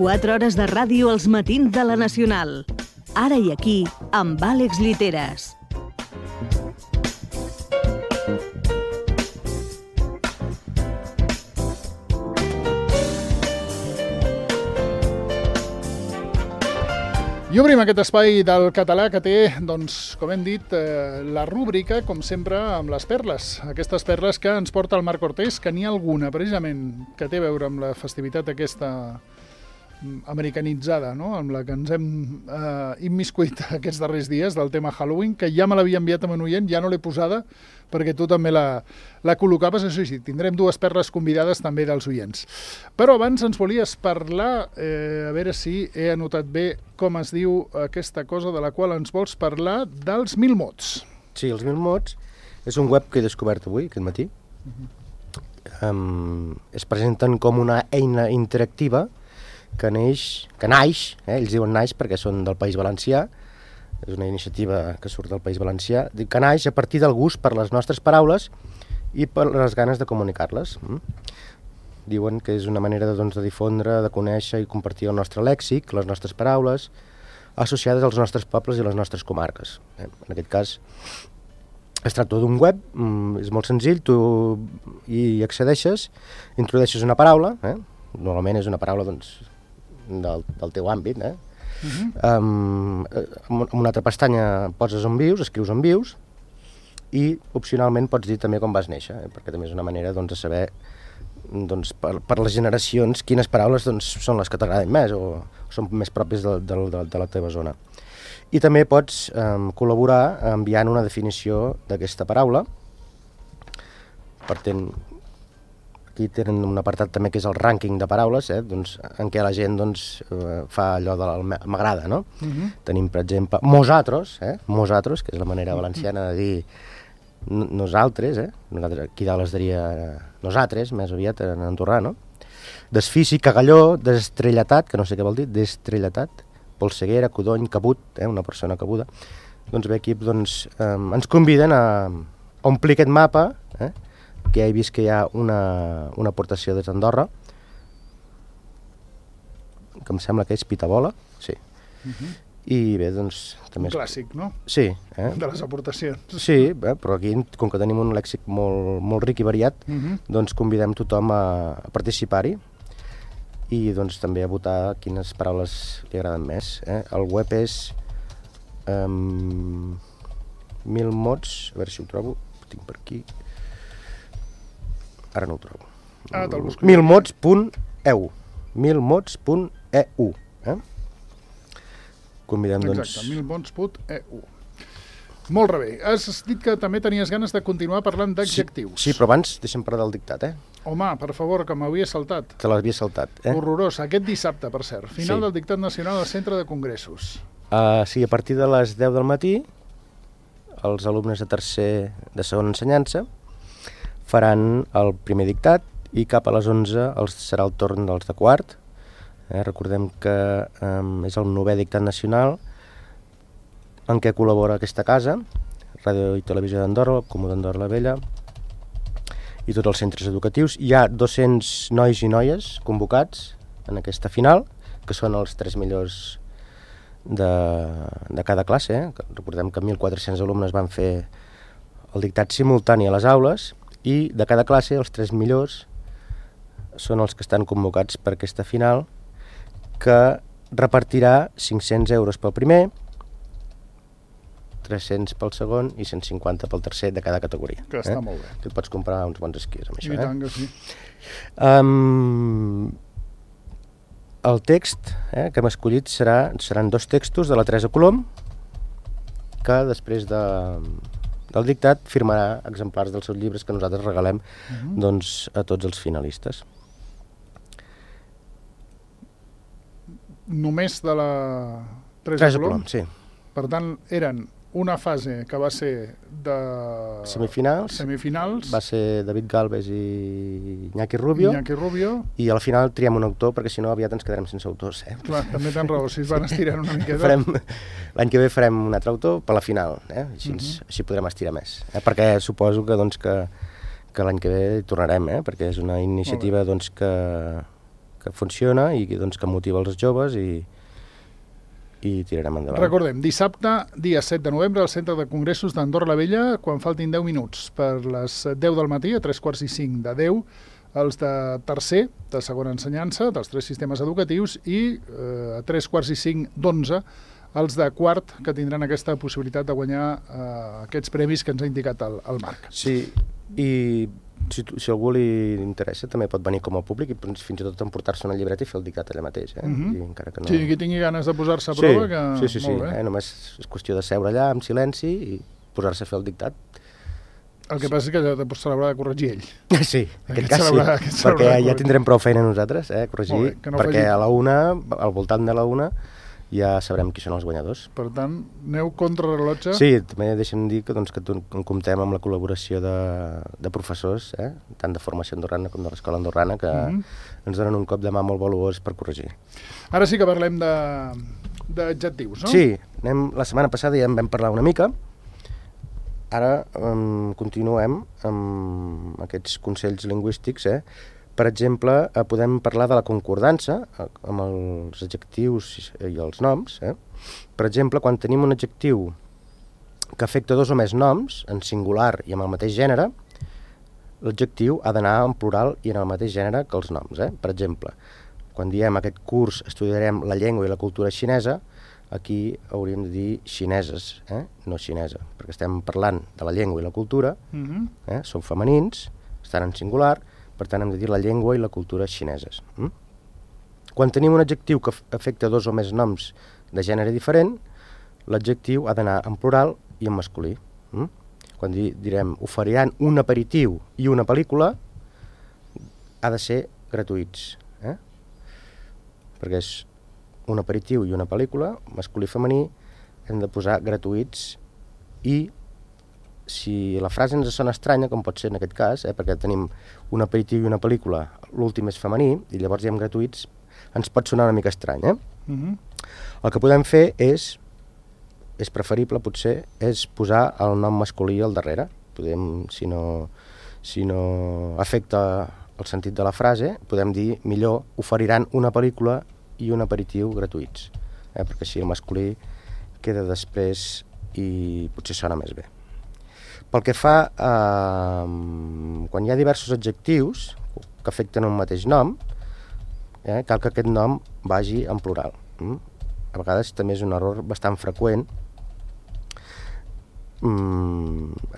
4 hores de ràdio als matins de la Nacional. Ara i aquí, amb Àlex Lliteres. I obrim aquest espai del català que té, doncs, com hem dit, la rúbrica, com sempre, amb les perles. Aquestes perles que ens porta el Marc Cortés, que n'hi ha alguna, precisament, que té a veure amb la festivitat aquesta americanitzada, no?, amb la que ens hem immiscuit aquests darrers dies del tema Halloween, que ja me l'havia enviat a un oient, ja no l'he posada, perquè tu també la col·locaves. Això sí, tindrem 2 perles convidades també dels oients. Però abans ens volies parlar, a veure si he anotat bé com es diu aquesta cosa de la qual ens vols parlar, dels 1000 mots. Sí, els 1000 mots és un web que he descobert avui, aquest matí. Es presenten com una eina interactiva que naix, ells diuen naix perquè són del País Valencià, és una iniciativa que surt del País Valencià, que naix a partir del gust per les nostres paraules i per les ganes de comunicar-les. Diuen que és una manera de difondre, de conèixer i compartir el nostre lèxic, les nostres paraules, associades als nostres pobles i les nostres comarques. En aquest cas, es tracta d'un web, és molt senzill, tu hi accedeixes, introdueixes una paraula, normalment és una paraula del teu àmbit, en una altra pestanya poses on vius, escrius on vius, i opcionalment pots dir també com vas néixer, perquè també és una manera de saber per les generacions quines paraules són les que t'agraden més o són més pròpies de la teva zona. I també pots col·laborar enviant una definició d'aquesta paraula. Aquí tenen un apartat també que és el rànquing de paraules, en què la gent fa allò del m'agrada, no? Tenim, per exemple, mosatros, que és la manera valenciana de dir nosaltres, aquí dalt es diria nosaltres, més aviat en andorrà, no? Desfici, cagalló, destrelletat, que no sé què vol dir, destrelletat, polseguera, codony, cabut, una persona cabuda. Doncs bé, aquí ens conviden a omplir aquest mapa, que he vist que hi ha una aportació des d'Andorra, que em sembla que és Pitabola, sí. I bé, també... Un clàssic, no? Sí. De les aportacions. Sí, però aquí, com que tenim un lèxic molt ric i variat, convidem tothom a participar-hi i també a votar quines paraules li agraden més. El web és 1000 mots, a veure si ho trobo, ho tinc per aquí... Ara no ho trobo. 1000mots.eu 1000mots.eu Convidem, Exacte, 1000mots.eu. Molt bé. Has dit que també tenies ganes de continuar parlant d'adjectius. Sí, però abans deixa'm parlar del dictat, Home, per favor, que m'havia saltat. Te l'havia saltat, Horrorós. Aquest dissabte, per cert. Final del dictat nacional al Centre de Congressos. Sí, a partir de les 10 del matí, els alumnes de segona ensenyança faran el primer dictat i cap a les 11 serà el torn dels de quart. Recordem que és el 9è dictat nacional en què col·labora aquesta casa, Ràdio i Televisió d'Andorra, el Comú d'Andorra la Vella i tots els centres educatius. Hi ha 200 nois i noies convocats en aquesta final, que són els 3 millors de cada classe. Recordem que 1.400 alumnes van fer el dictat simultani a les aules i de cada classe els 3 millors són els que estan convocats per aquesta final, que repartirà 500 euros pel primer, 300 pel segon i 150 pel tercer de cada categoria. Que està molt bé. Tu et pots comprar uns bons esquís amb això. I tant que sí. El text que hem escollit seran 2 textos de la Teresa Colom, que després del dictat firmarà exemplars dels seus llibres que nosaltres regalem a tots els finalistes. Només de la Teresa Colom? Sí. Per tant, eren una fase que va ser de semifinals, va ser David Galvez i Iñaki Rubio, i a la final triem un autor, perquè si no aviat ens quedarem sense autors. Clar, també tens raó, si es van estirant una miqueta. L'any que ve farem un altre autor per la final, així podrem estirar més, perquè suposo que l'any que ve hi tornarem, perquè és una iniciativa que funciona i doncs, que motiva els joves i tirarem endavant. Recordem, dissabte, dia 7 de novembre, al Centre de Congressos d'Andorra la Vella, quan faltin 10 minuts per les 10 del matí, a 3:45 de 10, els de tercer, de segona ensenyança, dels 3 sistemes educatius, i a 3:45 d'11, els de quart, que tindran aquesta possibilitat de guanyar aquests premis que ens ha indicat el Marc. Sí, i si algú li interessa també pot venir com a públic i fins i tot emportar-se una llibreta i fer el dictat allà mateix. I encara que no... Sí, qui tingui ganes de posar-se a prova, que... Sí. Molt bé. Només és qüestió de seure allà amb silenci i posar-se a fer el dictat. El que passa és que allò s'haurà de corregir ell. Sí, en aquest cas sí, perquè ja tindrem prou feina nosaltres, corregir, perquè a la 1, al voltant de la 1, ja sabrem qui són els guanyadors. Per tant, aneu contra rellotge. Sí, també deixem dir que comptem amb la col·laboració de professors, tant de formació andorrana com de l'escola andorrana, que ens donen un cop de mà molt valuós per corregir. Ara sí que parlem d'adjectius, no? Sí, la setmana passada ja en vam parlar una mica. Ara continuem amb aquests consells lingüístics. Per exemple, podem parlar de la concordança amb els adjectius i els noms. Per exemple, quan tenim un adjectiu que afecta 2 o més noms, en singular i amb el mateix gènere, l'adjectiu ha d'anar en plural i en el mateix gènere que els noms. Per exemple, quan diem aquest curs estudiarem la llengua i la cultura xinesa, aquí hauríem de dir xineses, no xinesa, perquè estem parlant de la llengua i la cultura, són femenins, estan en singular, per tant hem de dir la llengua i la cultura xineses. Quan tenim un adjectiu que afecta 2 o més noms de gènere diferent, l'adjectiu ha d'anar en plural i en masculí. Quan direm oferiran un aperitiu i una pel·lícula, ha de ser gratuïts, perquè és un aperitiu i una pel·lícula, masculí i femení, hem de posar gratuïts, i si la frase ens sona estranya, com pot ser en aquest cas, perquè tenim un aperitiu i una pel·lícula, l'últim és femení, i llavors diem gratuïts, ens pot sonar una mica estrany. El que podem fer és preferible potser, és posar el nom masculí al darrere. Podem, si no afecta el sentit de la frase, podem dir millor oferiran una pel·lícula i un aperitiu gratuïts, perquè així el masculí queda després i potser sona més bé. Pel que fa quan hi ha diversos adjectius que afecten un mateix nom, cal que aquest nom vagi en plural. A vegades també és un error bastant freqüent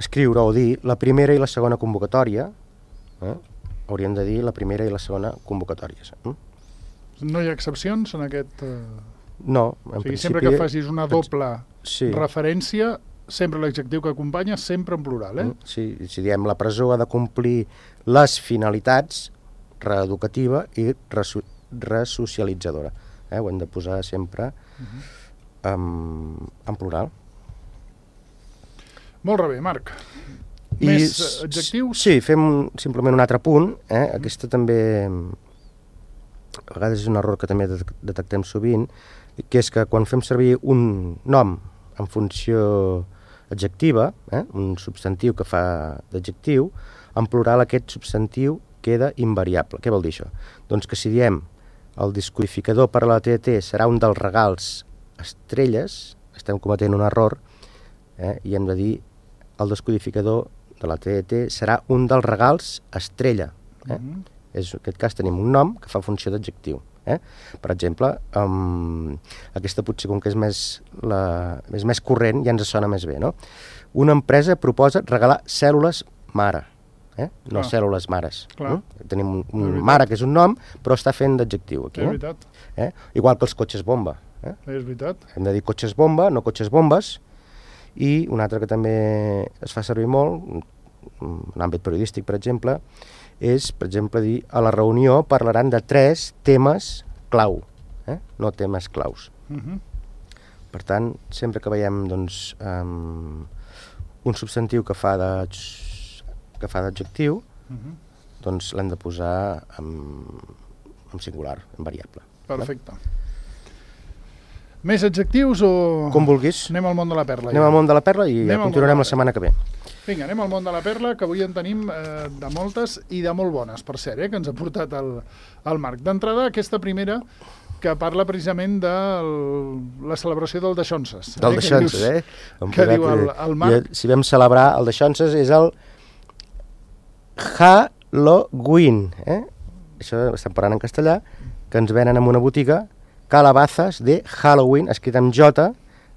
escriure o dir la primera i la segona convocatòria. Hauríem de dir la primera i la segona convocatòries. No hi ha excepcions en aquest... No, en principi... Sempre que facis una doble referència, sempre l'adjectiu que acompanya, sempre en plural, Sí, si diem la presó ha de complir les finalitats reeducativa i resocialitzadora. Ho hem de posar sempre en plural. Molt bé, Marc. Més adjectius? Sí, fem simplement un altre punt. Aquesta també... A vegades és un error que també detectem sovint, que és que quan fem servir un nom en funció adjectiva, un substantiu que fa d'adjectiu, en plural aquest substantiu queda invariable. Què vol dir això? Doncs que si diem el descodificador per a la TDT serà un dels regals estrelles, estem cometent un error, i hem de dir el descodificador de la TDT serà un dels regals estrella. En aquest cas tenim un nom que fa funció d'adjectiu. Per exemple, aquesta potser com que és més corrent ja ens sona més bé, no? Una empresa proposa regalar cèl·lules mare, no cèl·lules mares. Tenim un mare que és un nom, però està fent d'adjectiu aquí. És veritat. Igual que els cotxes bomba. És veritat. Hem de dir cotxes bomba, no cotxes bombes. I un altre que també es fa servir molt, en l'àmbit periodístic, per exemple, és, per exemple, dir a la reunió parlaran de 3 temes clau, no temes claus. Per tant, sempre que veiem un substantiu que fa d'adjectiu, doncs l'hem de posar en singular, en variable. Perfecte. Més adjectius o... Com vulguis. Anem al món de la perla. Anem al món de la perla i ja continuarem la setmana que ve. Vinga, anem al món de la perla, que avui en tenim de moltes i de molt bones, per cert, que ens ha portat el Marc. D'entrada, aquesta primera, que parla precisament de la celebració del Daixonses. Del Daixonses, Que diu el Marc. Si vam celebrar el Daixonses és el Halloween, Això estem parlant en castellà, que ens venen en una botiga calabazas de Halloween, escrit amb J,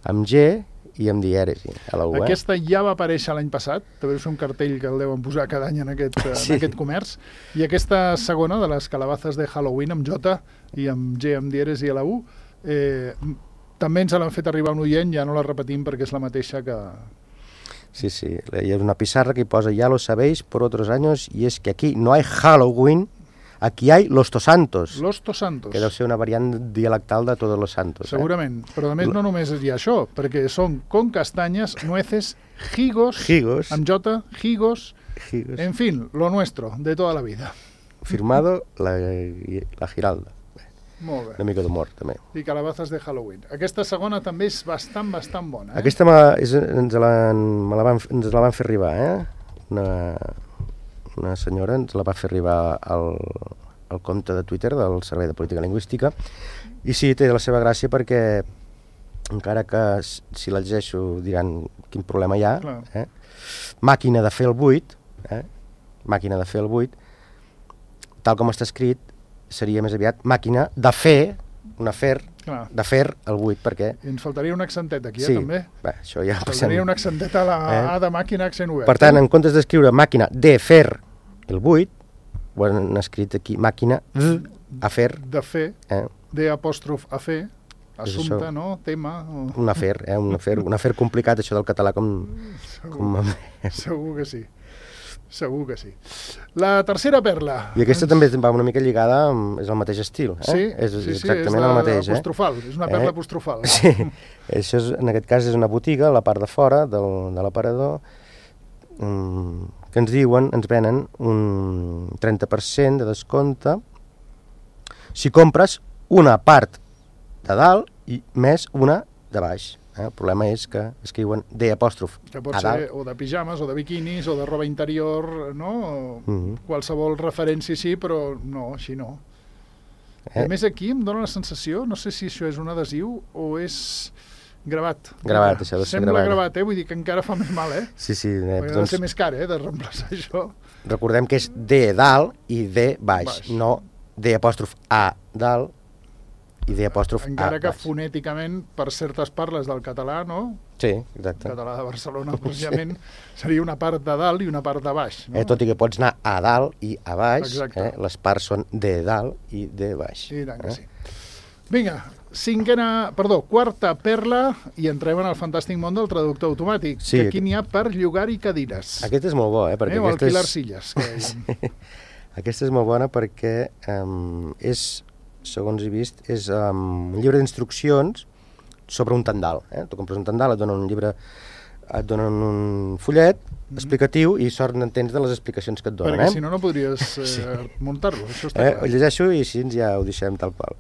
amb G i amb dièresi. Aquesta ja va aparèixer l'any passat, també és un cartell que el deuen posar cada any en aquest comerç, i aquesta segona de les calabazas de Halloween amb J i amb G amb dièresi a la U, també ens l'han fet arribar un oient, ja no la repetim perquè és la mateixa que... Sí, hi ha una pissarra que hi posa ya lo sabéis por otros años y es que aquí no hay Halloween, aquí hay Los Tosantos. Los Tosantos. Que deu ser una variant dialectal de Todos los Santos. Segurament, però a més no només hi ha això, perquè són con castanyes, nueces, higos, amb J, higos, en fin, lo nuestro, de toda la vida. Firmado la Giralda. Molt bé. Una mica d'humor, també. I calabazas de Halloween. Aquesta segona també és bastant bona. Aquesta ens la van fer arribar, Una senyora ens la va fer arribar al compte de Twitter del Servei de Política Lingüística, i sí, té la seva gràcia perquè, encara que si la llegeixo diran quin problema hi ha, màquina de fer el buit, màquina de fer el buit, tal com està escrit, seria més aviat màquina de fer, un afer, de fer el buit, perquè... I ens faltaria un accentet aquí, també. Sí, això ja passem. Faltaria un accentet a la A de màquina, accent obert. Per tant, en comptes d'escriure màquina de fer el buit, ho han escrit aquí, màquina a fer. De fer, de apòstrof a fer, assumpte, no? Tema. Un afer, un afer complicat, això del català com... Segur que sí. Segur que sí. La tercera perla. I aquesta també va una mica lligada, és el mateix estil. Sí, és exactament el mateix. Apostrofal, és una perla apostrofal. Sí, això en aquest cas és una botiga, a la part de fora de l'aparador, que ens diuen, ens venen un 30% de descompte si compres una part de dalt i més una de baix. El problema és que escriuen D apòstrof que pot ser o de pijames, o de biquinis, o de roba interior, no? Qualsevol referència sí, però no, així no. A més, aquí em dóna la sensació, no sé si això és un adhesiu o és gravat. Gravat, això ha de ser gravat. Sembla gravat, vull dir que encara fa més mal, Sí. Perquè ha de ser més car, de reemplaçar això. Recordem que és D dalt i D baix, no D apòstrof A dalt i D apòstrof A. Encara que fonèticament, per certes parles del català, no? Sí, exacte. El català de Barcelona, precisament, seria una part de dalt i una part de baix. No? Tot i que pots anar a dalt i a baix, les parts són de dalt i de baix. I tant que sí. Vinga, quarta perla, i entrem en el fantàstic món del traductor automàtic, que aquí n'hi ha per llogar-hi cadires. Aquest és molt bo, perquè o alquilar silles. Aquesta és molt bona perquè és... segons he vist, és un llibre d'instruccions sobre un tendal. Tu compres un tendal, et donen un llibre, et donen un fullet explicatiu i sort n'entens de les explicacions que et donen. Perquè si no, no podries muntar-lo, això està clar. Ho llegeixo i així ja ho deixem tal qual.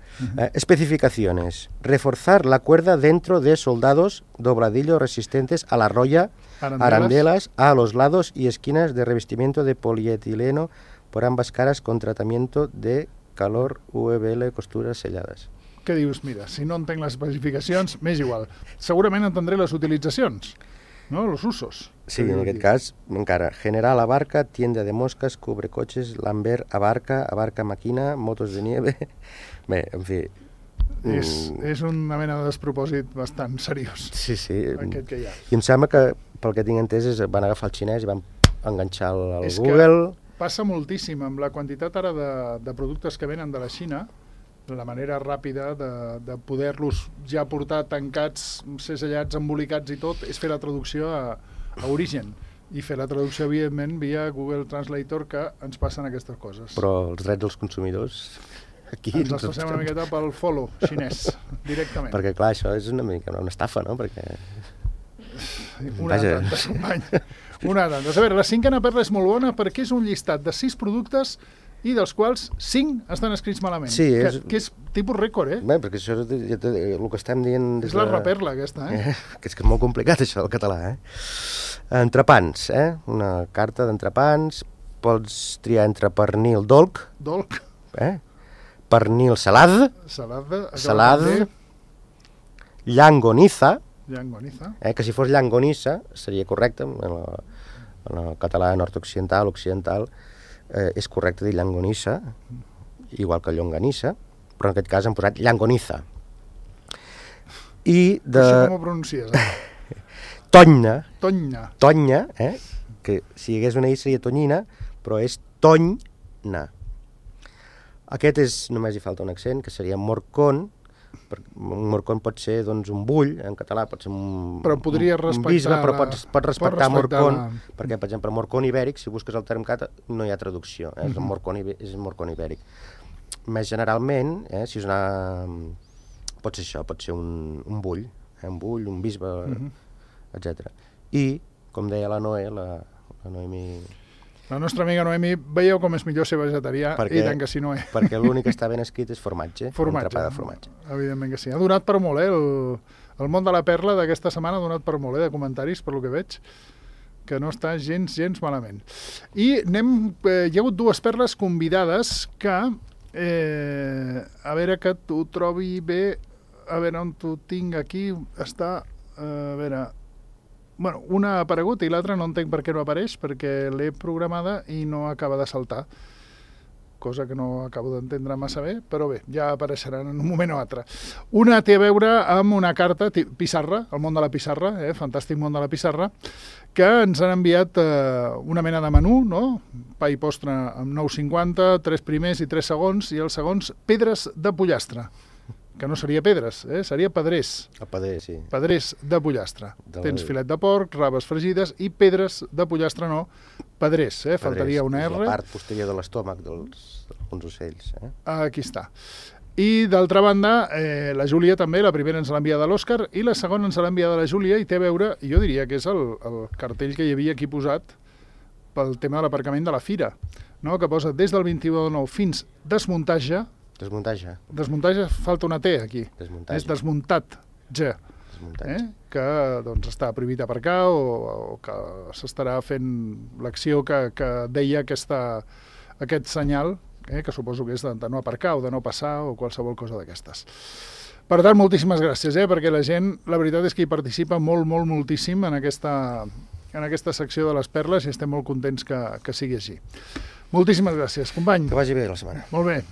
Especificaciones. Reforzar la cuerda dentro de soldados dobladillo resistentes a la roya, arandelas a los lados y esquinas de revestimiento de polietileno por ambas caras con tratamiento de calor, UVL, costures sellades. Què dius? Mira, si no entenc les especificacions, m'és igual. Segurament entendré les utilitzacions, no? Los usos. Sí, en aquest cas, encara. General abarca, tienda de moscas, cubre coches, Lambert abarca maquina, motos de nieve... Bé, en fi... És una mena de despropòsit bastant seriós. Sí. Aquest que hi ha. I em sembla que, pel que tinc entès, van agafar el xinès i van enganxar el Google... Passa moltíssim amb la quantitat ara de productes que venen de la Xina, la manera ràpida de poder-los ja portar tancats, segellats, embolicats i tot, és fer la traducció a origen. I fer la traducció, evidentment, via Google Translator, que ens passen aquestes coses. Però els drets dels consumidors... Aquí ens els passem una miqueta pel follow xinès, directament. Perquè, clar, això és una mica una estafa, no? Perquè... Una tanta, company. Una tanta. A veure, la cinquena perla és molt bona perquè és un llistat de 6 productes i dels quals 5 estan escrits malament. Sí, que és tipus rècord, Bé, perquè això és el que estem dient... És la reperla, aquesta, Que és molt complicat, això, el català, Entrepans, una carta d'entrepans, pots triar entre pernil dolc, Dolc. Pernil salad, llangoniza, que si fos llangonissa seria correcte, en el català nord-occidental, occidental, és correcte dir llangonissa, igual que llonganissa, però en aquest cas han posat llangoniza. I de... Això com ho pronuncies? Tonya, que si hi hagués una i seria tonyina, però és tonyna. Aquest és, només hi falta un accent, que seria morcón. Un morcón pot ser doncs, un bull, en català pot ser un bisbe, però pot respectar morcón, perquè, per exemple, morcón ibèric, si busques el term cata, no hi ha traducció, és morcón ibèric. Més generalment, si és una... pot ser això, pot ser un bull, un bisbe, etc. I, com deia la Noé, la Noemi... La nostra amiga Noemi, veieu com és millor ser vegetarià, i tant que sí, Noé. Perquè l'únic que està ben escrit és formatge. Entrepà de formatge. Evidentment que sí. Ha donat per molt, el món de la perla d'aquesta setmana ha donat per molt, de comentaris, per lo que veig, que no està gens malament. I hi ha hagut 2 perles convidades que, a veure que t'ho trobi bé, a veure on t'ho tinc aquí, està, a veure... Bueno, una ha aparegut i l'altra no entenc per què no apareix, perquè l'he programada i no acaba de saltar, cosa que no acabo d'entendre massa bé, però bé, ja apareixeran en un moment o altre. Una té a veure amb una carta, pissarra, el món de la pissarra, fantàstic món de la pissarra, que ens han enviat una mena de menú, no? Pa i postre amb 9,50, 3 primers i 3 segons, i els segons pedres de pollastre. Que no seria pedres, seria pedrers. El pedrer, sí. Pedrers de pollastre. Tens filet de porc, raves fregides i pedres de pollastre no, pedrers, faltaria una R. La part posterior de l'estómac d'alguns ocells. Aquí està. I d'altra banda, la Júlia també, la primera ens l'ha enviada l'Òscar i la segona ens l'ha enviada la Júlia i té a veure, jo diria que és el cartell que hi havia aquí posat pel tema de l'aparcament de la fira, no? Que posa des del 21 de 9 fins desmuntatge. Desmuntatge, falta una T aquí. És desmuntat, que doncs, està prohibit aparcar o que s'estarà fent l'acció que deia aquest senyal, que suposo que és de no aparcar o de no passar o qualsevol cosa d'aquestes. Per tant, moltíssimes gràcies, perquè la gent, la veritat és que hi participa moltíssim en aquesta secció de les perles i estem molt contents que sigui així. Moltíssimes gràcies, company. Que vagi bé la setmana. Molt bé.